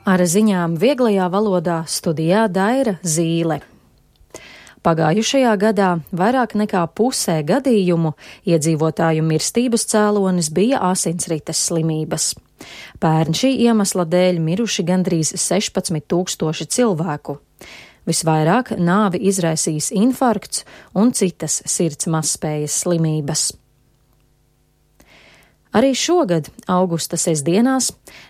Ar ziņām vieglajā valodā studijā Daira Zīle. Pagājušajā gadā vairāk nekā pusē gadījumu iedzīvotāju mirstības cēlonis bija asinsrites slimības. Pērn šī iemesla dēļ miruši gandrīz 16,000 cilvēku. Visvairāk nāvi izraisījis infarkts un citas sirds mazspējas slimības. Arī šogad, augusta sestdienās,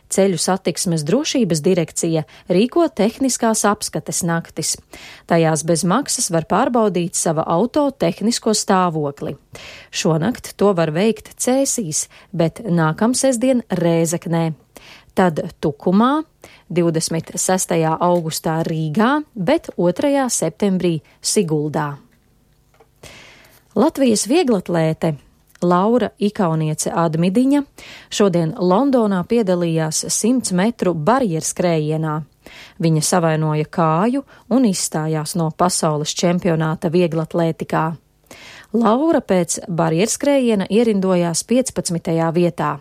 Ceļu satiksmes drošības direkcija rīko tehniskās apskates naktis. Tajās bez maksas var pārbaudīt sava auto tehnisko stāvokli. Šonakt to var veikt Cēsīs, bet nākamsestdien Rēzeknē. Tad Tukumā, 26. augustā Rīgā, bet 2. septembrī Siguldā. Latvijas vieglatlēte Laura Ikauniece Admidiņa šodien Londonā piedalījās 100 metru barjerskrējienā. Viņa savainoja kāju un izstājās no pasaules čempionāta vieglatlētikā. Laura pēc barjerskrējiena ierindojās 15. vietā.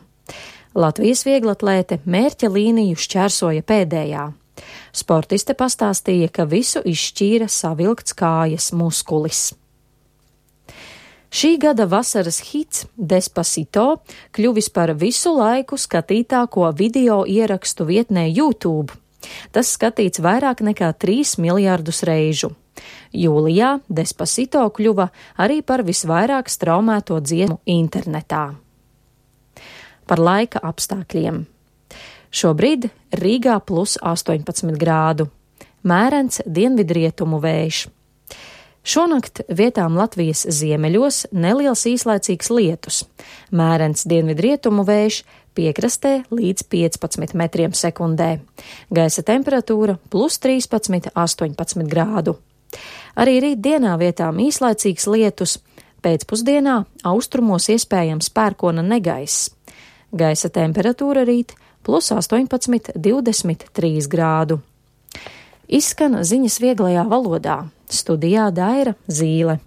Latvijas vieglatlēte mērķa līniju šķērsoja pēdējā. Sportiste pastāstīja, ka visu izšķīra savilkts kājas muskulis. Šī gada vasaras hits Despacito kļuvis par visu laiku skatītāko video ierakstu vietnē YouTube. Tas skatīts vairāk nekā 3 miljardus reižu. Jūlijā Despacito kļuva arī par visvairāk straumēto dziesmu internetā. Par laika apstākļiem. Šobrīd Rīgā plus 18 grādu. Mērens dienvidrietumu vējš. Šonakt vietām Latvijas ziemeļos neliels īslaicīgs lietus. Mērens dienvidrietumu vējš, piekrastē līdz 15 metriem sekundē. Gaisa temperatūra plus 13–18 grādu. Arī rītdienā vietām īslaicīgs lietus, pēcpusdienā austrumos iespējams pērkona negaiss. Gaisa temperatūra rīt plus 18–23 grādu. Izskan ziņas vieglajā valodā. Studijā Daira Zīle.